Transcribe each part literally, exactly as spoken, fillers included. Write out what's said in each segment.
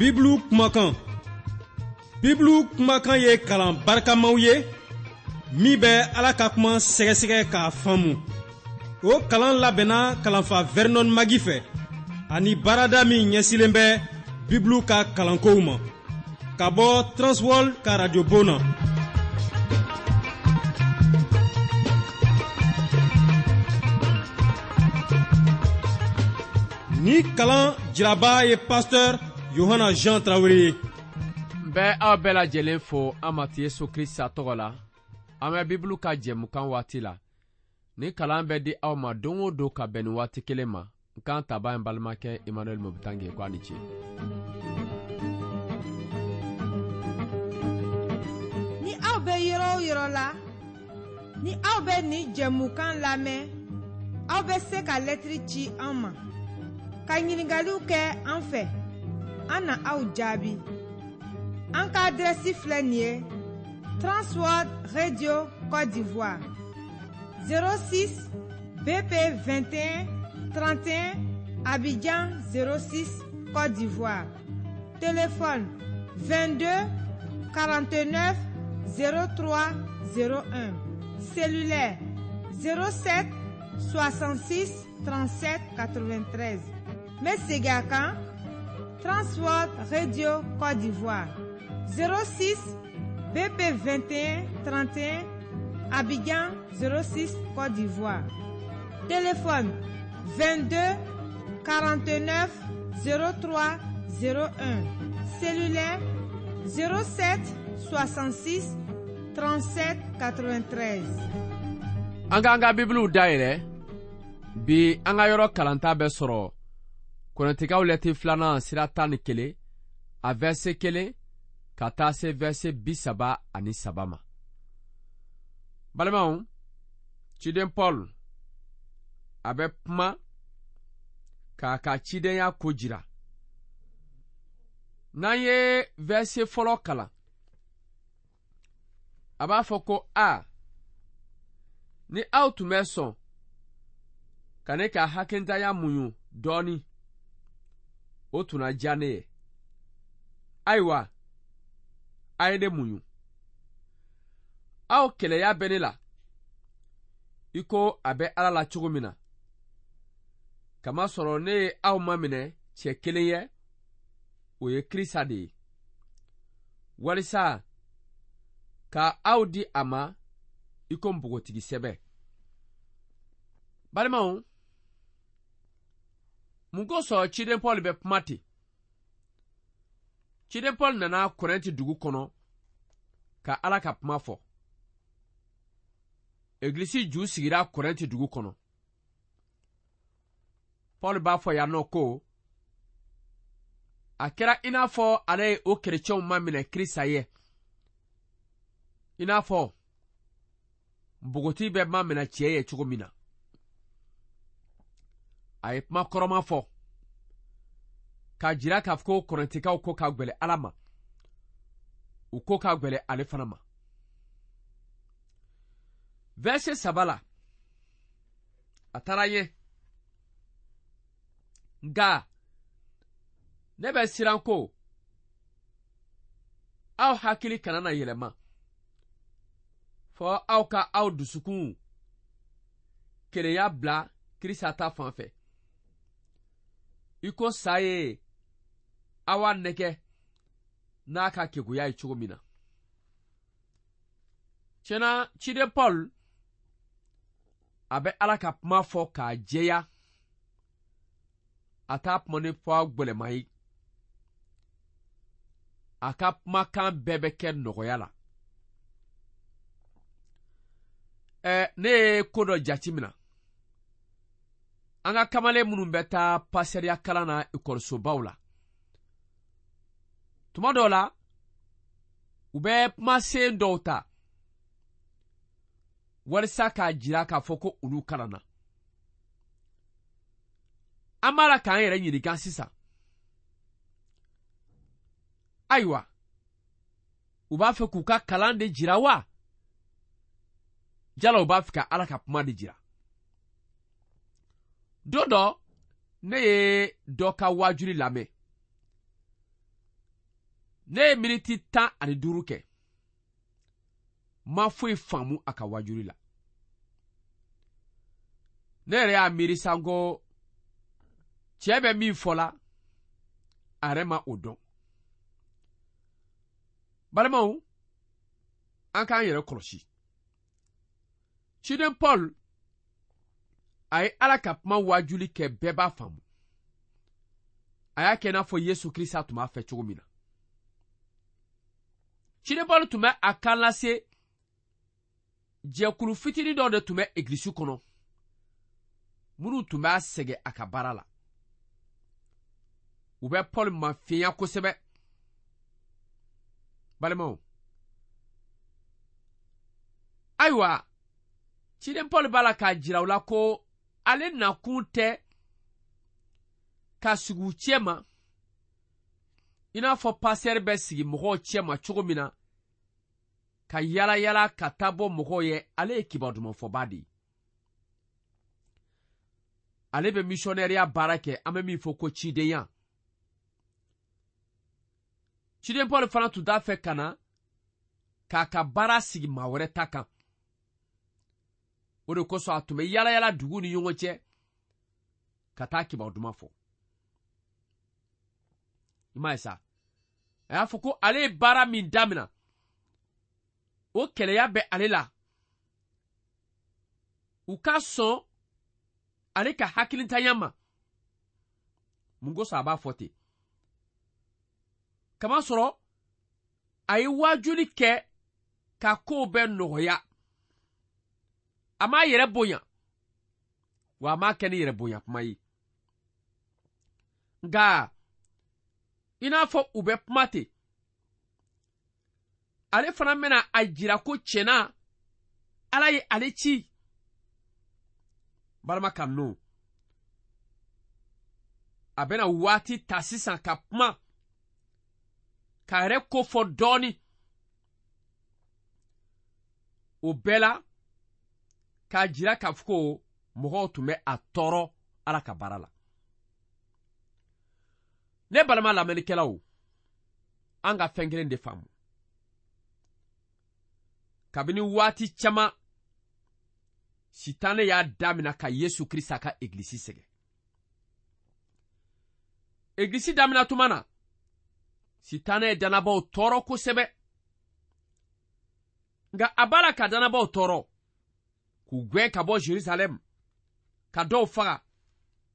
Bibulu kumakan. Bibulu kumakan ye kalan barikamaw ye min bɛ Ala ka kuma sɛgɛsɛgɛ k'a faamu. O kalan labɛnna kalanfa Vernon Magi fɛ ani baarada min ɲɛsilen bɛ Bibulu ka kalankow ma ka bɔ Transworld ka radio bon na. Ni kalan jiraba ye pasteur Yohana Jean Traoré ye. N bɛ aw bɛɛ lajɛlen fo an Matigi Yesu Krista tɔgɔ la. An bɛ Bibulu ka jɛmukan waati la. Ni kalan bɛ di aw ma don o don ka bɛn ni waati kelen ma. N kan taba in balimakɛ Emmanuel Mobitange ko a ni ce. Ni aw bɛ yɔrɔ o yɔrɔ la, ni aw bɛ nin jɛmukan lamɛn, aw bɛ se ka lɛtiri ci an ma, ka ɲininkaliw kɛ an fɛ, an na aw jaabi. An ka adrɛsi filɛ nin ye: Transworld Radio Côte d'Ivoire, zéro six B P vingt et un trente et un, Abidjan zéro six, Côte d'Ivoire. Téléphone vingt-deux quarante-neuf zéro trois zéro un. Cellulaire zéro sept soixante-six trente-sept quatre-vingt-treize. N bɛ segin a kan: Transworld Radio Côte d'Ivoire, zéro six B P vingt et un trente et un, Abidjan zéro six, Côte d'Ivoire. Téléphone vingt-deux quarante-neuf zéro trois zéro un. Cellulaire zéro sept soixante-six trente-sept quatre-vingt-treize. An k'an ka Bibuluw dayɛlɛ. Bi an ka yɔrɔ kalanta bɛ sɔrɔ Kɔrɛntikaw lɛti filanan sira tan ni kelen, a verset kelen ka taa se verset bi saba ani saba ma. Balimaw, ciden Paul a bɛ kuma k'a ka cidenya ko jira. N'an ye verset fɔlɔ kalan, a b'a fɔ ko a ni aw tun bɛ sɔn ka ne ka hakilintanya muɲu dɔɔni, o tun na diya ne ye. Ayiwa, a ye ne muɲu. Aw kɛlɛya bɛ ne la i ko a bɛ Ala la cogo min na, kamasɔrɔ ne ye aw maminɛ cɛ kelen ye, o ye Krista de ye, walisa ka aw di a ma i ko npogotigi sɛbɛ. Balimaw, mun kosɔn ciden Paul bɛ kuma ten? Ciden Paul nana Kɔrɛnti dugu kɔnɔ ka Ala ka kuma fɔ. Egilisi ju sigira Kɔrɛnti dugu kɔnɔ. Paul b'a fɔ yan nɔ ko a kɛra i n'a fɔ ale ye o kerecɛnw maminɛ Krista ye, i n'a fɔ npogotigi bɛ maminɛ cɛ ye cogo min na. A ye kuma kɔrɔma fɔ k'a jira k'a fɔ ko Kɔrɛntikaw ko ka gwɛlɛ Ala ma, u ko ka gwɛlɛ ale fana ma. Verset saba la, a taara ɲɛ: nka ne bɛ siran ko aw hakili kana na yɛlɛma, fɔ aw ka aw dusukun kelenya bila Krista ta fan fɛ, i ko sa ye awa nɛgɛ n'a ka keguya ye cogo min na. Tiɲɛna, ciden Paul a bɛ Ala ka kuma fɔ k'a jɛya, a t'a kuma ni fɔ gwɛlɛma ye. A ka kumakan bɛɛ bɛ kɛ nɔgɔya la. Ɛ, ne ye ko dɔ jate minɛ: an ka kamalen minnu bɛ taa pasɛriya kalan na ekɔlisobaw la, tuma dɔw la u bɛ kumasen dɔw ta walisa k'a jira k'a fɔ ko olu kalanna. An b'a la k'an yɛrɛ ɲininka sisan: ayiwa, u b'a fɛ k'u ka kalan de jira wa, jala u b'a fɛ ka Ala ka kuma de jira? Don dɔ, ne ye dɔ ka waajuli lamɛn. Ne ye miniti tan ani duuru kɛ, ma foyi faamu a ka wajuli la. Ne yɛrɛ y'a miiri sa ko cɛ bɛ min fɔ la, a yɛrɛ ma o dɔn. Balimaw, an k'an yɛrɛ kɔlɔsi. Ciden Paul a ye Ala ka kuma wajuli kɛ, bɛɛ b'a faamu. A y'a kɛ i n'a fɔ Yesu Kirisa tun b'a fɛ cogo min na. Ciden Paul tun bɛ a kan lase jɛkulu fitinin dɔ de tun bɛ egilisi kɔnɔ, minnu tun b'a sɛgɛn a ka baara la. U bɛ Paul mafiɲɛya kosɛbɛ. Balimaw, ayiwa, ciden Paul b'a la k'a jira u la ko ale nakun tɛ ka sigi u cɛ ma i n'a fɔ pasɛri bɛ sigi mɔgɔw cɛ ma cogo min na, ka yala yala ka taa bɔ mɔgɔw ye. Ale ye kibaru dumanfɔba de ye. Ale bɛ misiyɔnɛriya baara kɛ, an bɛ min fɔ ko cidenya. Ciden Paul fana tun t'a fɛ ka na k'a ka baara sigi maa wɛrɛ ta kan. O de kosɔn a tun bɛ yala yala dugu ni ɲɔgɔn cɛ ka taa kibaru duman fɔ. I m'a ye sa, a y'a fɔ ko ale ye baara min damina, o kɛlɛya bɛ ale la. U ka sɔn ale ka hakilintanya ma. Mun kosɔn a b'a fɔ ten? Kamasɔrɔ a ye waajuli kɛ ka kow bɛɛ nɔgɔya. A m'a yɛrɛ bonya, wa a m'a kɛ ni yɛrɛ bonya kuma ye. Nka i n'a fɔ u bɛ kuma ten, ale fana bɛna a jira ko tiɲɛna Ala ye ale ci. Balima kanu, a bɛna waati ta sisan ka kuma k'a yɛrɛ ko fɔ dɔɔni. O bɛɛ la k'a jira k'a fɔ ko mɔgɔw tun bɛ a tɔɔrɔ Ala ka baara la. Ne balima lamɛnnikɛlaw, an ka fɛn kelen de faamu. Kabini waati caman, Sitanɛ y'a damina ka Yesu Kirisa ka egilisi sɛgɛn. Egilisi damina tuma na, Sitanɛ ye dannabaw tɔɔrɔ kosɛbɛ. Nka a b'a la ka dannabaw tɔɔrɔ, k'u gɛn ka bɔ Jerusalɛm, ka dɔw faga,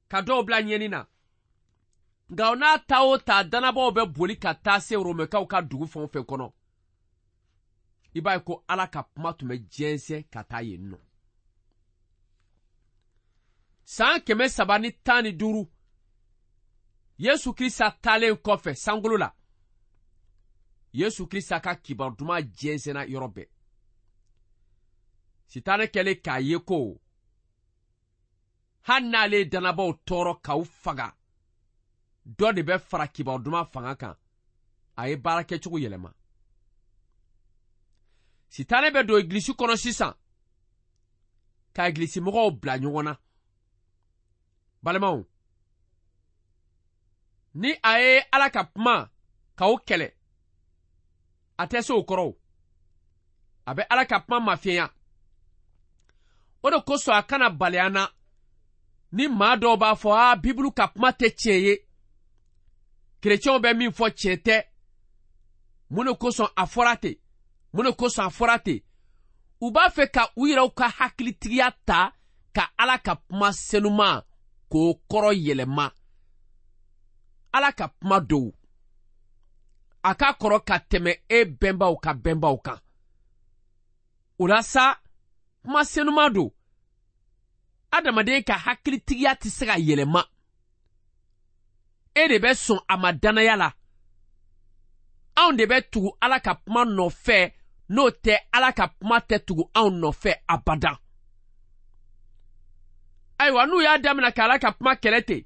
ka dɔw bila ɲɛni na. Nka o n'a ta o ta, dannabaw bɛ boli ka taa se Romɛkaw ka dugu fɛn o fɛn kɔnɔ. I b'a ye ko Ala ka kuma tun bɛ jɛnsɛn ka taa yen nɔ. San kɛmɛ saba ni tan ni duuru, Yesu Kirisa taalen kɔfɛ sankolo la, Yesu Kirisa ka kibaru duman jɛnsɛnna yɔrɔ bɛɛ. Sitanɛ kɛlen k'a ye ko hali n'ale ye dannabaw tɔɔrɔ k'aw faga, dɔ de bɛ fara kibaru duman fanga kan. A ye baara kɛcogo yɛlɛma. Sitanɛ bɛ don egilisi kɔnɔ sisan ka egilisi mɔgɔw bila ɲɔgɔn na. Balimaw, ni a ye Ala ka kuma k'aw kɛlɛ, a tɛ se o kɔrɔ. A bɛ Ala ka kuma mafiɲɛya. O de kosɔn a kana bali an na ni maa dɔw b'a fɔ a Bibulu ka kuma tɛ tiɲɛ ye, kerecɛnw bɛ min fɔ tiɲɛ tɛ. Mun de kosɔn a fɔra ten? Mun de kosɔn a fɔra ten? U b'a fɛ ka u yɛrɛw ka hakilitigiya ta ka Ala ka kuma senuman k'o kɔrɔ yɛlɛma. Ala ka kuma dɔw, a ka kɔrɔ ka tɛmɛ e bɛnbaw ka bɛnbaw kan. O la sa, kuma senuman don. Adamaden ka hakilitigiya tɛ se ka yɛlɛma. E de bɛ sɔn a ma danaya la. Anw de bɛ tugu Ala ka kuma nɔfɛ, n'o tɛ Ala ka kuma tɛ tugu anw nɔfɛ abadan. Ayiwa, n'u y'a daminɛ ka Ala ka kuma kɛlɛ ten,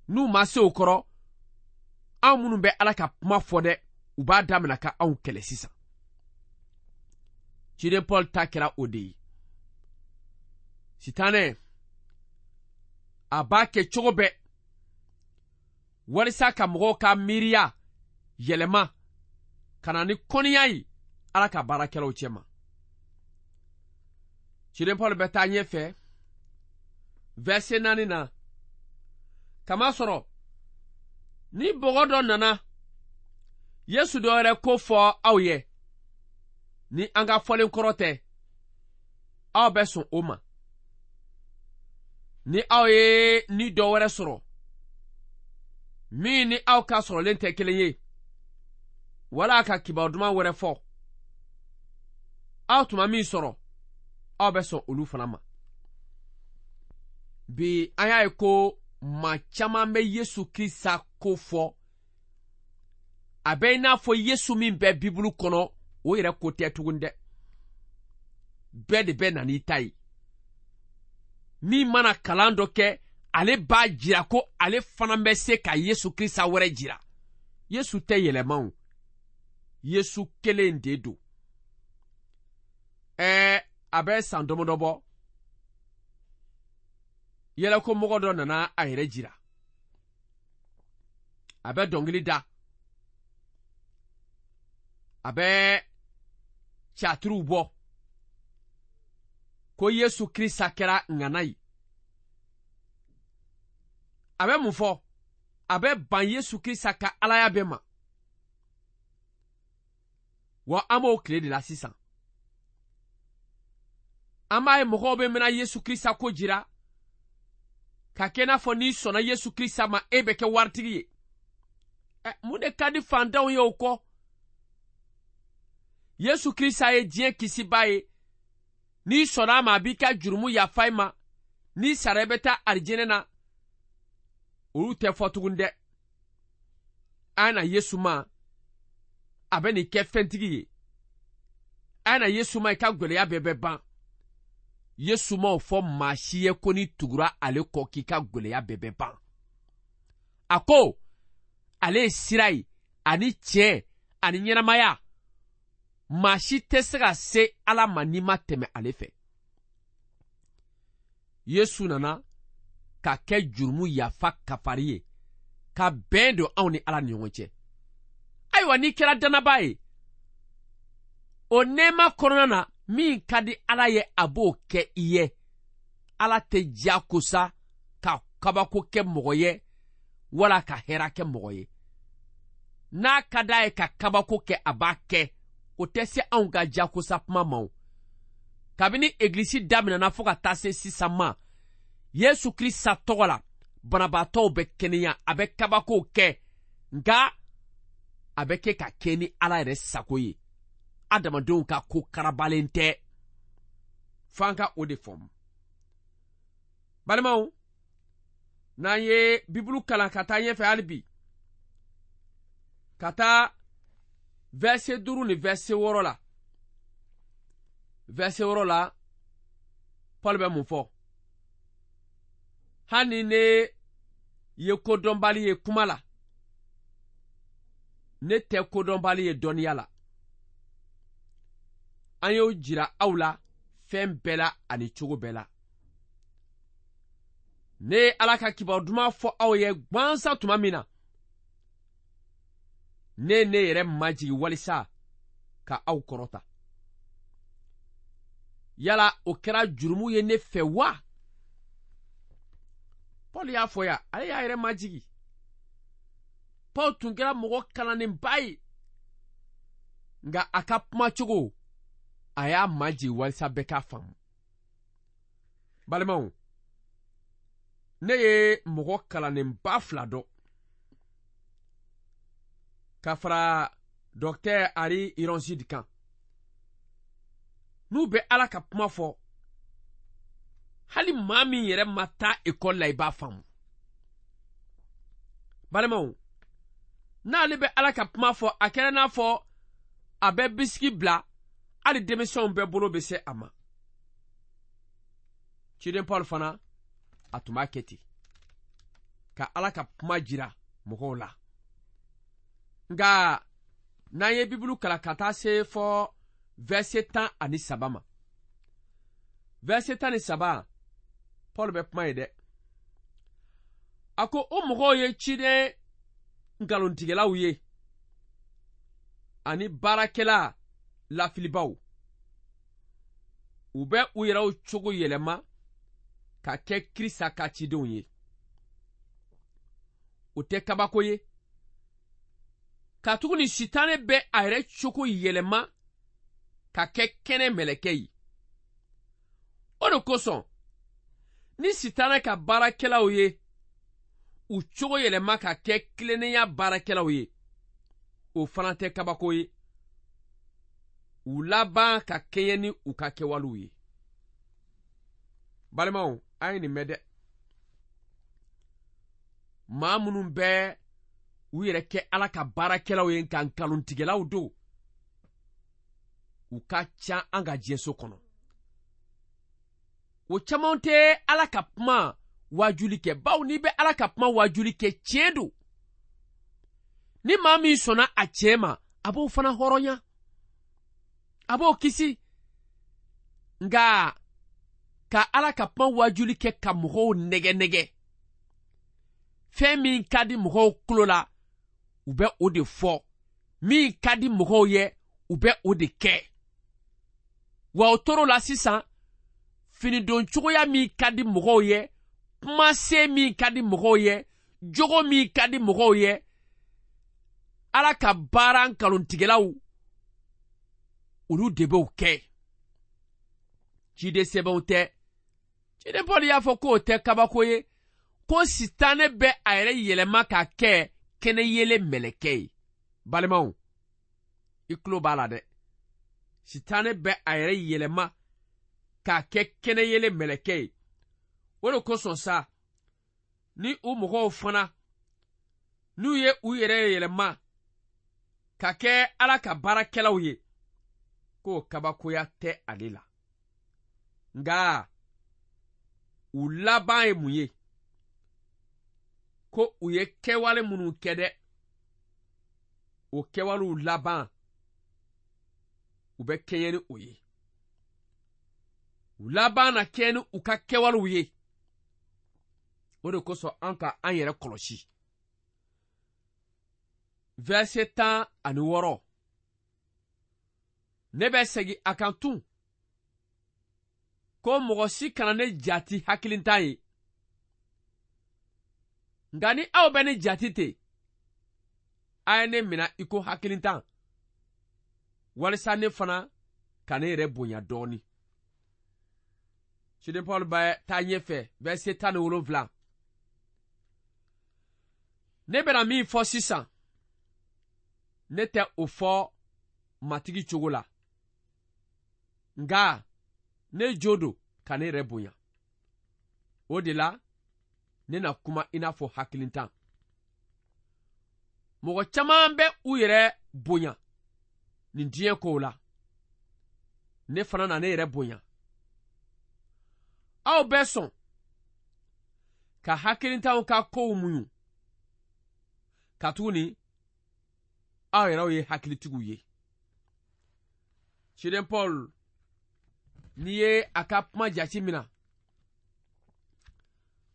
n'u ma se o kɔrɔ, anw minnu bɛ Ala ka kuma fɔ dɛ, u b'a daminɛ ka anw kɛlɛ sisan. Ciden Paul ta kɛra o de ye. Sitanɛ a b'a kɛ cogo bɛɛ walisa ka mɔgɔw ka miiriya yɛlɛma Ka na ni kɔniya ye Ala ka baarakɛlaw cɛma. Ciden Paul bɛ taa ɲɛfɛ verset naani na. Kamasɔrɔ ni bɔgɔ dɔ nana Yesu dɔ wɛrɛ ko fɔ aw ye ni an ka fɔlen kɔrɔ tɛ, aw bɛ sɔn o ma. Ni aw ye ni dɔ wɛrɛ sɔrɔ min ni aw ka sɔrɔlen tɛ kelen ye, wala ka kibaru duman wɛrɛ fɔ, aw tuma min sɔrɔ, aw bɛ sɔn olu fana ma. Bi an y'a ye ko maa caman bɛ Yesu Krista ko fɔ, a bɛ i n'a fɔ Yesu min bɛ Bibulu kɔnɔ, o yɛrɛ ko tɛ tugun dɛ. Bɛɛ de bɛ na n'i ta ye. Min mana kalan dɔ kɛ, ale b'a jira ko ale fana bɛ se ka Yesu Krista wɛrɛ jira. Yesu tɛ yɛlɛma o. Yesu kelen de don. Ɛɛ, a bɛ san damadɔ bɔ, yɛlɛko mɔgɔ dɔ nana a yɛrɛ jira. A bɛ dɔnkili da, a bɛ catiriw bɔ ko Yesu Krista kɛra ŋana ye. A bɛ mun fɔ? A bɛ ban Yesu Krista ka alaya bɛɛ ma. Wa an b'o tile de la sisan. An b'a ye mɔgɔw bɛ mɛna Yesu Krista ko jira ka kɛ i n'a fɔ n'i sɔnna Yesu Krista ma, e bɛ kɛ waritigi ye. Ɛ, mun de ka di fantanw ye o kɔ? Yesu Krista ye diɲɛ kisibaa ye. N'i sɔnna a ma, a b'i ka jurumu yafa i ma. N'i sara, i bɛ taa arijinɛ na. Olu tɛ fɔ tugun dɛ. An na Yesu ma, a bɛ nin kɛ fɛntigi ye. An na Yesu ma, i ka gɛlɛya bɛɛ bɛ ban. Yesu ma o fɔ maa si ye ko n'i tugura ale kɔ k'i ka gɛlɛya bɛɛ bɛ ban. A ko ale ye sira ye ani tiɲɛ ani ɲɛnamaya. Maa si tɛ se ka se Ala ma n'i ma tɛmɛ ale fɛ. Yesu nana ka kɛ jurumu yafa kafari ye, ka bɛn don anw ni Ala ni ɲɔgɔn cɛ. Ayiwa, n'i kɛra dannabaa ye, o nɛɛma kɔnɔna na, min ka di Ala ye, a b'o kɛ i ye. Ala tɛ diyagosa ka kabako kɛ mɔgɔ ye wala ka hɛrɛ kɛ mɔgɔ ye. N'a ka d'a ye ka kabako kɛ, a b'a kɛ. O tɛ se anw ka diyagosa kuma ma o. Kabini egilisi daminɛna fo ka taa se sisan ma, Yesu Krista tɔgɔ la, banabaatɔw bɛ kɛnɛya, a bɛ kabakow kɛ, nka a bɛ kɛ ka kɛ ni Ala yɛrɛ sago ye. Adamadenw ka ko karabalen tɛ. F'an ka o de faamu. Balimaw, n'an ye Bibulu kalan ka taa ɲɛfɛ hali bi, ka taa verset duuru ni verset wɔɔrɔ la. Verset wɔɔrɔ la, Paul bɛ mun fɔ? Hali ni ne ye kodɔnbali ye kuma la, ne tɛ kodɔnbali ye dɔnniya la. An y'o jira aw la fɛn bɛɛ la ani cogo bɛɛ la. Ne ye Ala ka kibaru duman fɔ aw ye gansan tuma min na, ne ne yɛrɛ majigi walisa ka aw kɔrɔta. Yala o kɛra jurumu ye ne fɛ wa? Paul y'a fɔ yan, ale y'a yɛrɛ majigi. Paul tun kɛra mɔgɔ kalannenba ye, nka a ka kumacogo, a y'a majigi walisa bɛɛ k'a faamu. Balimaw, ne ye mɔgɔ kalannenba fila dɔn ka fara Docteur Ari Ironside kan. N'u bɛ Ala ka kuma fɔ, hali maa min yɛrɛ ma taa ekɔli la, i b'a faamu. Balimaw, n'ale bɛ Ala ka kuma fɔ, a kɛra n'a fɔ a bɛ bisiki bila, hali denmisɛnw bɛɛ bolo bɛ se a ma. Ciden Paul fana, a tun b'a kɛ ten, ka Ala ka kuma jira mɔgɔw la. Nka n'an ye Bibulu kalan ka taa se fɔ verset tan ani saba ma, verset tan ni saba, Paul bɛ kuma ye dɛ. A ko o mɔgɔw ye ciden nkalontigɛlaw ye, ani baarakɛla lafilibaw. U bɛ u yɛrɛw cogo yɛlɛma ka kɛ Krista ka cidenw ye. O tɛ kabako ye, katuguni Sitanɛ bɛ a yɛrɛ cogo yɛlɛma ka kɛ kɛnɛ mɛlɛkɛ ye. O de kosɔn ni Sitanɛ ka baarakɛlaw ye u cogo yɛlɛma ka kɛ tilennenya baarakɛlaw ye, o fana tɛ kabako ye. U laban ka kɛɲɛ ni u ka kɛwalew ye. Balimaw, a ye nin mɛn dɛ. Maa minnu bɛ u yɛrɛ kɛ Ala ka baarakɛlaw ye nka nkalontigɛlaw don, u ka ca an ka diɲɛso kɔnɔ. O caman tɛ Ala ka kuma waajuli kɛ, bawo n'i bɛ Ala ka kuma waajuli kɛ, tiɲɛ don. Ni maa min sɔnna a tiɲɛ ma, a b'o fana hɔrɔnya, a b'o kisi. Nka ka Ala ka kuma waajuli kɛ ka mɔgɔw nɛgɛ nɛgɛ, fɛn min ka di mɔgɔw tulo la, u bɛ o de fɔ. Min ka di mɔgɔw ye, u bɛ o de kɛ. Wa o tor'o la sisan, finidon cogoya min ka di mɔgɔw ye, kumasen min ka di mɔgɔw ye, jogo min ka di mɔgɔw ye, Ala ka baara nkalontigɛlaw, olu de b'o kɛ. Ciden sɛbɛnw tɛ. Ciden Paul y'a fɔ k'o tɛ kabako ye, ko Sitanɛ bɛ a yɛrɛ yɛlɛma ka kɛ kɛnɛyelen mɛlɛkɛ ye. Balimaw, i tulo b'a la dɛ. Sitanɛ bɛ a yɛrɛ yɛlɛma k'a kɛ kɛnɛyelen mɛlɛkɛ ye. O de kosɔn sa, ni u mɔgɔw fana, n'u ye u yɛrɛ yɛlɛma ka kɛ Ala ka baarakɛlaw ye, k'o kabakoya tɛ ale la. Nka u laban ye mun ye? Ko u ye kɛwale minnu kɛ dɛ, o kɛwalew laban, u bɛ kɛɲɛ ni o ye. U laban na kɛɲɛ ni u ka kɛwalew ye. O de kosɔn an ka an yɛrɛ kɔlɔsi. Verset tan ani wɔɔrɔ. Ne bɛ segin a kan tun ko mɔgɔ si kana ne jati hakilintan ye. Nka ni aw bɛ ne jati ten, a ye ne mina i ko hakilintan, walisa ne fana ka ne yɛrɛ bonya dɔɔni. Ciden Paul bɛ taa ɲɛfɛ, verset tan ni wolonwula. Ne bɛna min fɔ sisan, ne tɛ o fɔ Matigi cogo la, nka ne jo don ka ne yɛrɛ bonya. O de la, ne na kuma i n'a fɔ hakilintan. Mɔgɔ caman bɛ u yɛrɛ bonya nin diɲɛ kow la. Ne fana na ne yɛrɛ bonya. Aw bɛ sɔn ka hakilintanw ka kow muɲu, katuguni aw yɛrɛw ye hakilitigiw ye. Ciden Paul, n'i ye a ka kuma jate minɛ,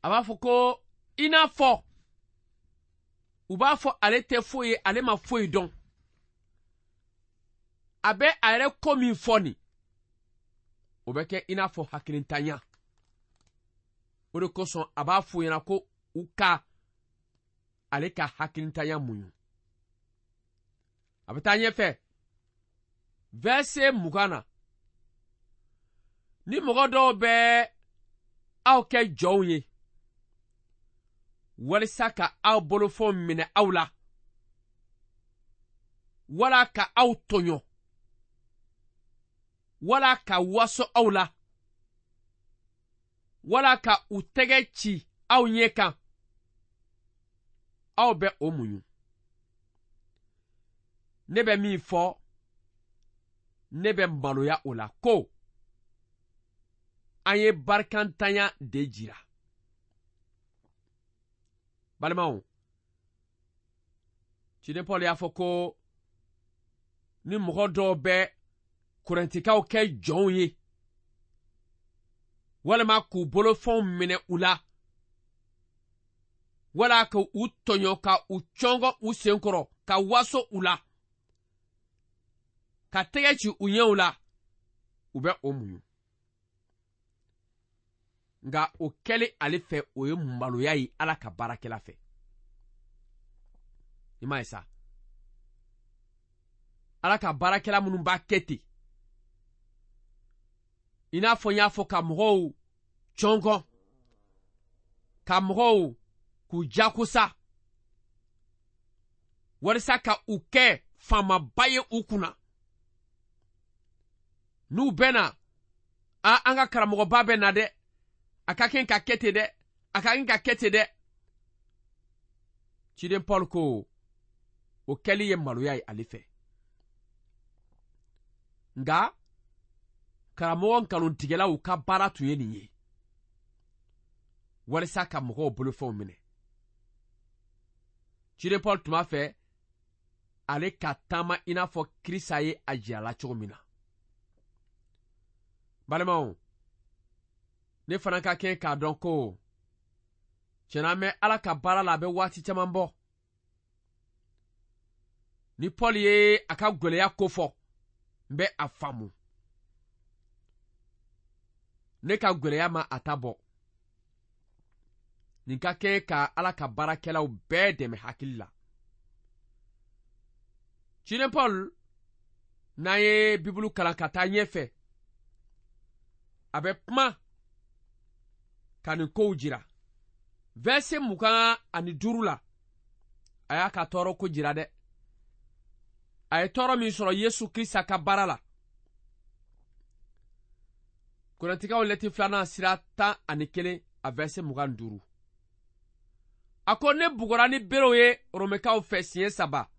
a b'a fɔ ko i n'a fɔ u b'a fɔ ale tɛ foyi ye, ale ma foyi dɔn. A bɛ a yɛrɛ ko min fɔ nin, o bɛ kɛ i n'a fɔ hakilintanya. O de kosɔn a b'a fɔ ɲɛna ko u ka ale ka hakilintanya muɲu. A bɛ taa ɲɛfɛ, verset mugan na. Ni mɔgɔ dɔw bɛ aw kɛ jɔnw ye, walisa ka aw bolofɛnw minɛ aw la, wala ka aw tɔɲɔ, wala ka waso aw la, wala ka u tɛgɛ ci aw ɲɛ kan, aw bɛ o muɲu. Ne bɛ min fɔ, ne bɛ maloya o la ko an ye barikantanya de jira. Balimaw, ciden Paul y'a fɔ ko ni mɔgɔ dɔw bɛ Korintikaw kɛ jɔnw ye, walima k'u bolofɛnw minɛ u la, wala ka u tɔɲɔ ka u cɔngɔ u sen kɔrɔ ka waso u la, ka tɛgɛ ci u ɲɛw la, u bɛ o muɲu. Nka o kɛlen ale fɛ, o ye maloya ye Ala ka baarakɛla fɛ. I m'a ye sa, Ala ka baarakɛla minnu b'a kɛ ten, i n'a fɔ n y'a fɔ, ka mɔgɔw cɔngɔn, ka mɔgɔw k'u jagosa walisa ka u kɛ faamaba ye u kunna. N'u bɛ na, a an ka karamɔgɔba bɛ na dɛ, a ka kɛ ka kɛ ten dɛ, a ka kɛ ka kɛ ten dɛ. Ciden Paul ko o kɛli ye maloya ye ale fɛ. Nka karamɔgɔ nkalontigɛlaw ka baara tun ye nin ye, walisa ka mɔgɔw bolofɛnw minɛ. Ciden Paul tun b'a fɛ ale ka taama i n'a fɔ Kirisa ye a jira la cogo min na. Balimaw, ne fana ka kɛ k'a dɔn ko tiɲɛna an bɛ Ala ka baara la, a bɛ waati caman bɔ. Ni Paul ye a ka gwɛlɛya ko fɔ, n bɛ a faamu. Ne ka gwɛlɛya ma a ta bɔ. Nin ka kɛ ka Ala ka baarakɛlaw bɛɛ dɛmɛ hakili la. Ciden Paul, n'an ye Bibulu kalan ka taa ɲɛfɛ, a bɛ kuma ka nin kow jira. Verset mugan ani duuru la, a y'a ka tɔɔrɔ ko jira dɛ. A ye tɔɔrɔ min sɔrɔ Yesu Krista ka baara la. Korintikaw lɛti filanan sira tan ani kelen a verset mugan ni duuru. A ko ne bugɔra ni berew ye Romɛkaw fɛ siɲɛ saba.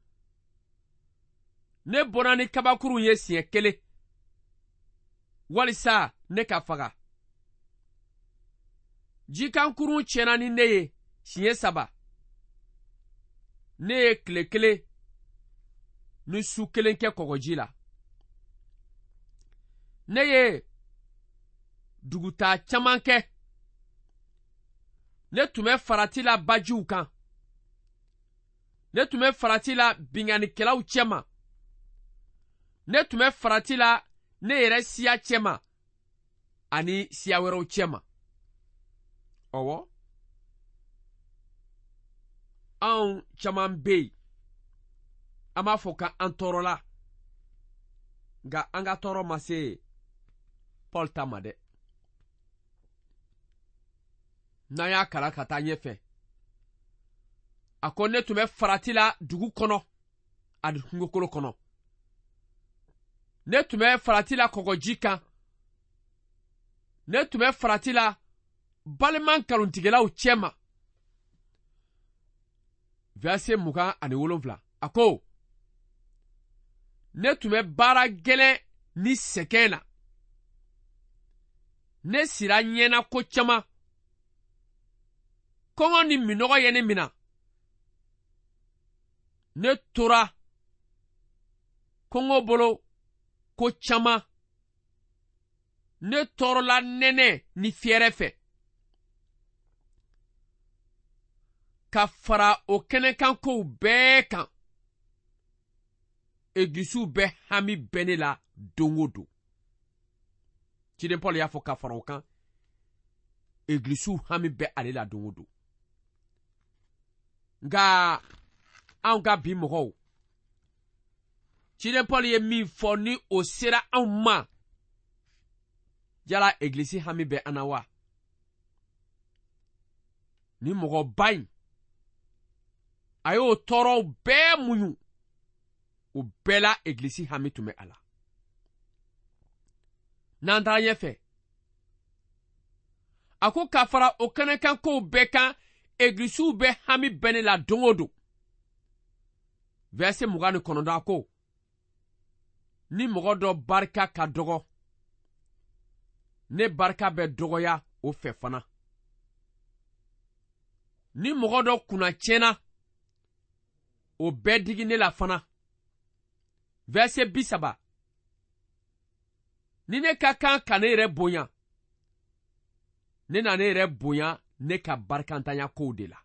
Ne bɔnna ni kabakurun ye siɲɛ kelen, walisa ne ka faga. Jikankurun tiɲɛna ni ne ye siɲɛ saba. Ne ye tile kelen ni su kelen kɛ kɔgɔji la. Ne ye dugutaa caman kɛ. Ne tun bɛ farati la bajiw kan. Ne tun bɛ farati la binkannikɛlaw cɛma. Ne tun bɛ farati la ne yɛrɛ siya cɛma ani siya wɛrɛw cɛma. Ɔwɔ, anw caman bɛ yen, an b'a fɔ k'an tɔɔrɔla, nka an ka tɔɔrɔ ma se Paul ta ma dɛ. N'an y'a kalan ka taa ɲɛfɛ, a ko ne tun bɛ farati la dugu kɔnɔ ani kungokolo kɔnɔ. Ne tun bɛ farati la kɔgɔji kan. Ne tun bɛ farati la balima nkalontigɛlaw cɛma. Verset mugan ani wolonfila, a ko ne tun bɛ baara gɛlɛn ni sɛgɛn na. Ne sira ɲɛna ko caman. Kɔngɔ ni minɔgɔ ye ne mina. Ne tora kɔngɔ bolo ko caman. Ne tɔɔrɔla nɛnɛ ni fiyɛrɛ fɛ. Ka fara o kɛnɛkan kow bɛɛ kan, egilisiw bɛ hami bɛ ne la don o don. Ciden Paul y'a fɔ ka fara o kan, egilisiw hami bɛ ale la don o don. Nka anw ka bi mɔgɔw, ciden Paul ye min fɔ ni o sera anw ma, yala egilisi hami bɛ an na wa? Ni mɔgɔba in, a y'o tɔɔrɔw bɛɛ muɲu, o bɛɛ la egilisi hami tun bɛ a la. N'an taara ɲɛfɛ, a ko ka fara o kɛnɛkan kow bɛɛ kan, egilisiw bɛ hami bɛ ne la don o don. Verset mugan ni kɔnɔntɔn, a ko ni mɔgɔ dɔ barika ka dɔgɔ, ne barika bɛ dɔgɔya o fɛ fana. Ni mɔgɔ dɔ kunna tiɲɛna, o bɛɛ digi ne la fana. Verset bi saba, ni ne ka kan ka ne yɛrɛ bonya, ne na ne yɛrɛ bonya ne ka barikantanya kow de la.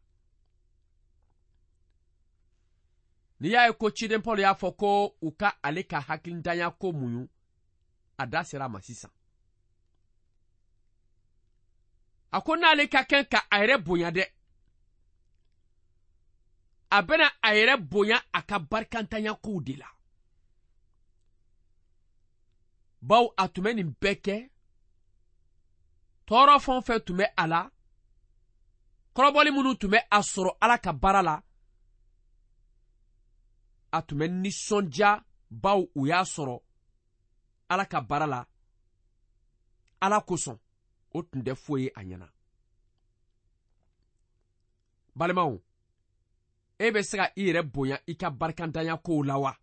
N'i y'a ye ko ciden Paul y'a fɔ ko u ka ale ka hakilintanya ko muɲu, a da sera a ma sisan. A ko n'ale ka kɛ ka a yɛrɛ bonya dɛ, a bɛna a yɛrɛ bonya a ka barikantanya kow de la. Bawo a tun bɛ nin bɛɛ kɛ, tɔɔrɔ fɛn o fɛn tun bɛ a la, kɔrɔbɔli minnu tun bɛ a sɔrɔ Ala ka baara la, a tun bɛ nisɔndiya bawo u y'a sɔrɔ Ala ka baara la, Ala kosɔn, o tun tɛ foyi ye a ɲɛna. Balimaw, e bɛ se ka i yɛrɛ bonya i ka barikantanya kow la wa?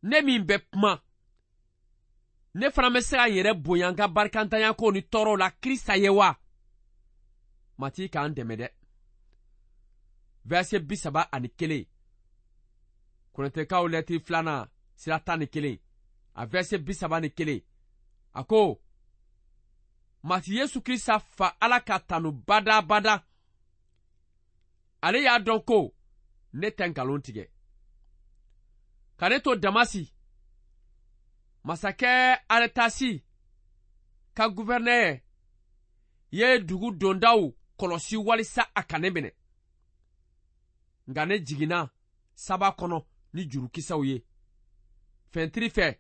Ne min bɛ kuma, ne fana bɛ se ka n yɛrɛ bonya n ka barikantanya kow ni tɔɔrɔw la Krista ye wa? Matigi k'an dɛmɛ dɛ. Verset bi saba ani kelen, Kɔrɛntɛkaw lɛtiri filanan sira tan ni kelen, a verset bi saba ni kelen, a ko, Matigi Yesu Krista fa Ala ka tanu badabada. Ale y'a dɔn ko ne tɛ nkalon tigɛ. Ka ne to Damasi, masakɛ Aretasi ka guvɛrnɛr ye dugu dondaw kɔlɔsi walisa a ka ne minɛ. Nka ne jiginna saba kɔnɔ ni jurukisɛw ye, fɛntiri fɛ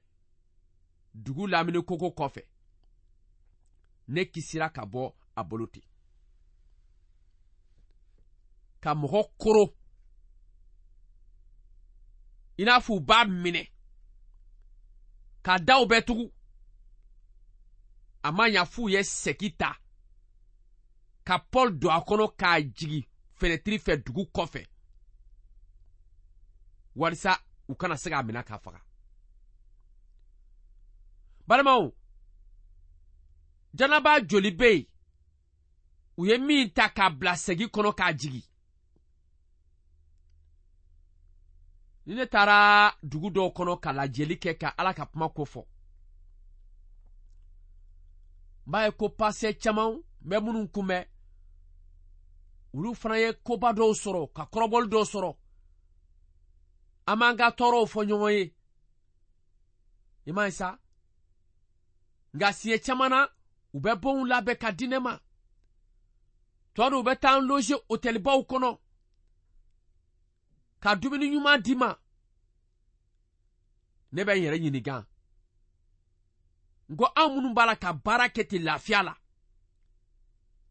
dugu lamini koko kɔfɛ. Ne kisira ka bɔ a bolo ten. Ka mɔgɔ koro i n'a fɔ u b'a minɛ ka daw bɛɛ tugu, a ma ɲa f'u ye sɛki ta ka Paul don a kɔnɔ k'a jigi fenɛtiri fɛ dugu kɔfɛ, walisa u kana se k'a minɛ k'a faga. Balimaw, janaba joli bɛ yen u ye min ta k'a bila sɛgi kɔnɔ k'a jigi? Ni ne taara dugu dɔw kɔnɔ ka lajɛli kɛ ka Ala ka kuma ko fɔ, n b'a ye ko pasɛ caman bɛ minnu kunbɛn, olu fana ye koba dɔw sɔrɔ ka kɔrɔbɔli dɔw sɔrɔ. An b'an ka tɔɔrɔw fɔ ɲɔgɔn ye, i m'a ye sa? Nka siɲɛ caman na, u bɛ bonw labɛn ka di ne ma. Tɔ dɔw bɛ taa n loge hôtelibaw kɔnɔ ka dumuni ɲuman di ma. Ne bɛ n yɛrɛ ɲininka, n ko anw minnu b'a la ka baara kɛ ten lafiya la,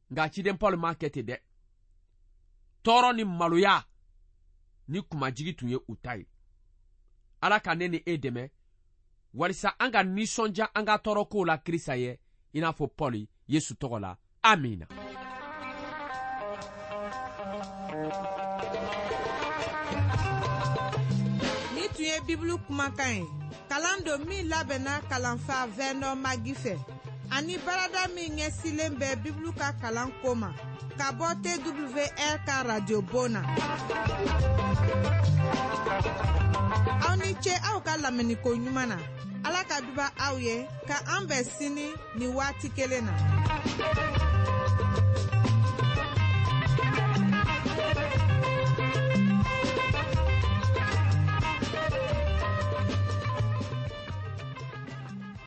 nka ciden Paul m'a kɛ ten dɛ. Tɔɔrɔ ni maloya ni kumajigi tun ye u ta ye. Ala ka ne ni e dɛmɛ walisa an ka nisɔndiya an ka tɔɔrɔ kow la Krista ye, i n'a fɔ Paul Yesu tɔgɔ la. Amina. Ni tun ye Bibulu kumakan ye, kalan don min labɛnna kalanfa Vernon Magi fɛ, ani baarada min ɲɛsilen bɛ Bibulu ka kalan ko ma, ka bɔ T W R ka radio bon na. Aw ni ce aw ka lamɛnniko ɲuman na. Ala ka duba aw ye, ka an bɛn sini ni waati kelen na.